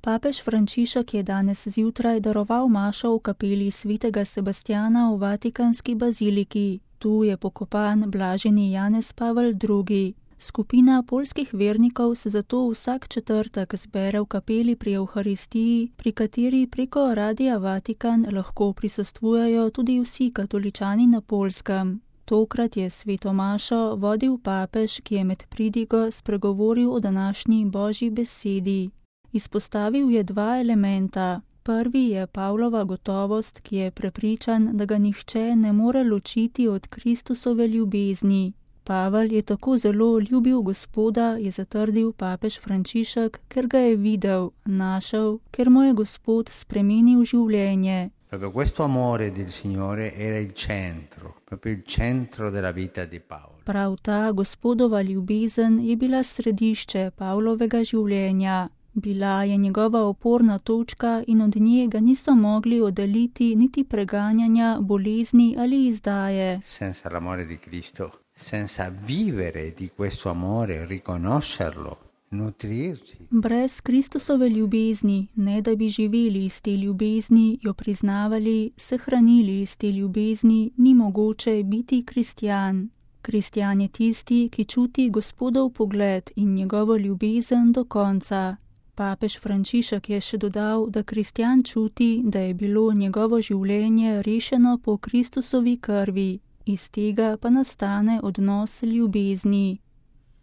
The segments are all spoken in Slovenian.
Papež Frančišek je danes zjutraj daroval mašo v kapeli svetega Sebastjana v Vatikanski baziliki. Tu je pokopan blaženi Janez Pavel II. Skupina poljskih vernikov se zato vsak četrtek zbere v kapeli pri Evharistiji, pri kateri preko Radia Vatikan lahko prisostvujejo tudi vsi katoličani na Poljskem. Tokrat je sveto mašo vodil papež, ki je med pridigo spregovoril o današnji Božji besedi. Izpostavil je dva elementa. Prvi je Pavlova gotovost, ki je prepričan, da ga nihče ne more ločiti od Kristusove ljubezni. Pavel je tako zelo ljubil Gospoda, je zatrdil papež Frančišek, ker ga je videl, našel, ker mu je Gospod spremenil življenje. Proprio questo amore del Signore era il centro, proprio il centro della vita di Paolo. Prav ta Gospodova ljubezen je bila središče Pavlovega življenja. Bila je njegova oporna točka in od nje ga niso mogli oddaljiti niti preganjanja, bolezni ali izdaje. Senza l'amore di Cristo, senza vivere di questo amore, riconoscerlo, nutrirsi. Brez Kristusove ljubezni, ne da bi živeli iz te ljubezni, jo priznavali, se hranili iz te ljubezni, ni mogoče biti kristjan. Kristjan je tisti, ki čuti Gospodov pogled in njegovo ljubezen do konca. Papež Frančišek je še dodal, da kristjan čuti, da je bilo njegovo življenje rešeno po Kristusovi krvi, iz tega pa nastane odnos ljubezni.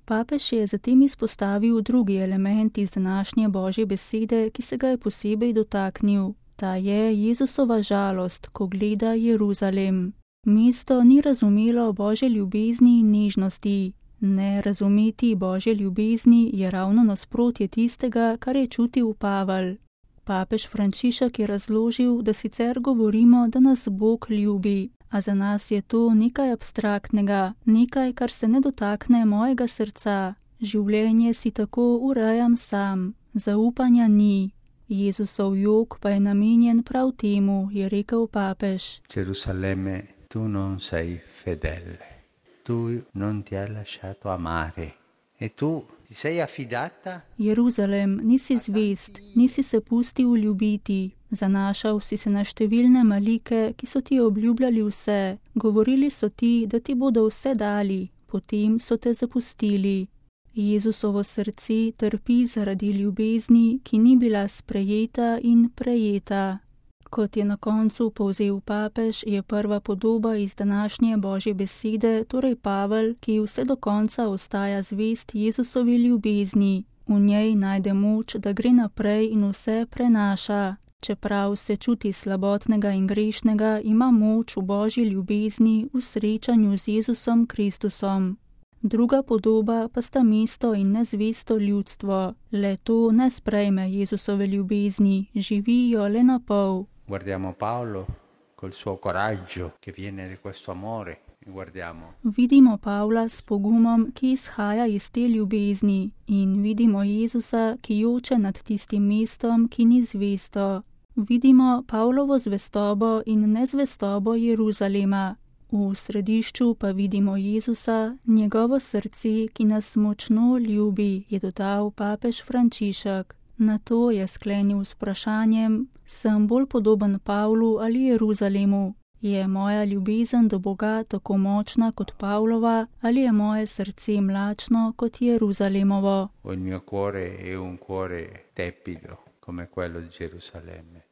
Papež je zatem izpostavil drugi element iz današnje Božje besede, ki se ga je posebej dotaknil. Ta je Jezusova žalost, ko gleda Jeruzalem. Mesto ni razumelo Božje ljubezni in nežnosti. Ne razumeti Božje ljubezni je ravno nasprotje tistega, kar je čutil Pavel. Papež Frančišek je razložil, da sicer govorimo, da nas Bog ljubi, a za nas je to nekaj abstraktnega, nekaj, kar se ne dotakne mojega srca. Življenje si tako urejam sam, zaupanja ni. Jezusov jok pa je namenjen prav temu, je rekel papež. Gerusalemme, tu non sei fedele. Tu non ti hai lasciato amare e tu ti sei affidata. Jeruzalem, nisi zvest, nisi se pustil ljubiti. Zanašal si se na številne malike, ki so ti obljubljali vse. Govorili so ti, da ti bodo vse dali, potem so te zapustili. Jezusovo srce trpi zaradi ljubezni, ki ni bila sprejeta in prejeta. Kot je na koncu povzel papež, je prva podoba iz današnje Božje besede, torej Pavel, ki vse do konca ostaja zvest Jezusovi ljubezni. V njej najde moč, da gre naprej in vse prenaša. Čeprav se čuti slabotnega in grešnega, ima moč v Božji ljubezni v srečanju z Jezusom Kristusom. Druga podoba pa sta mesto in nezvesto ljudstvo. Le to ne sprejme Jezusove ljubezni, živi jo le na pol. Guardiamo Paolo col suo coraggio che viene di questo amore. Vidimo Pavla s pogumom, ki izhaja iz te ljubezni, in vidimo Jezusa, ki joče nad tistim mestom, ki ni zvesto. Vidimo Pavlovo zvestobo in nezvestobo Jeruzalema. V središču pa vidimo Jezusa, njegovo srce, ki nas močno ljubi, je dodal papež Frančišek. Nato je sklenil s vprašanjem, sem bolj podoben Pavlu ali Jeruzalemu? Je moja ljubezen do Boga tako močna kot Pavlova ali je moje srce mlačno kot Jeruzalemovo? Il mio cuore è un cuore tepido come quello di Gerusalemme.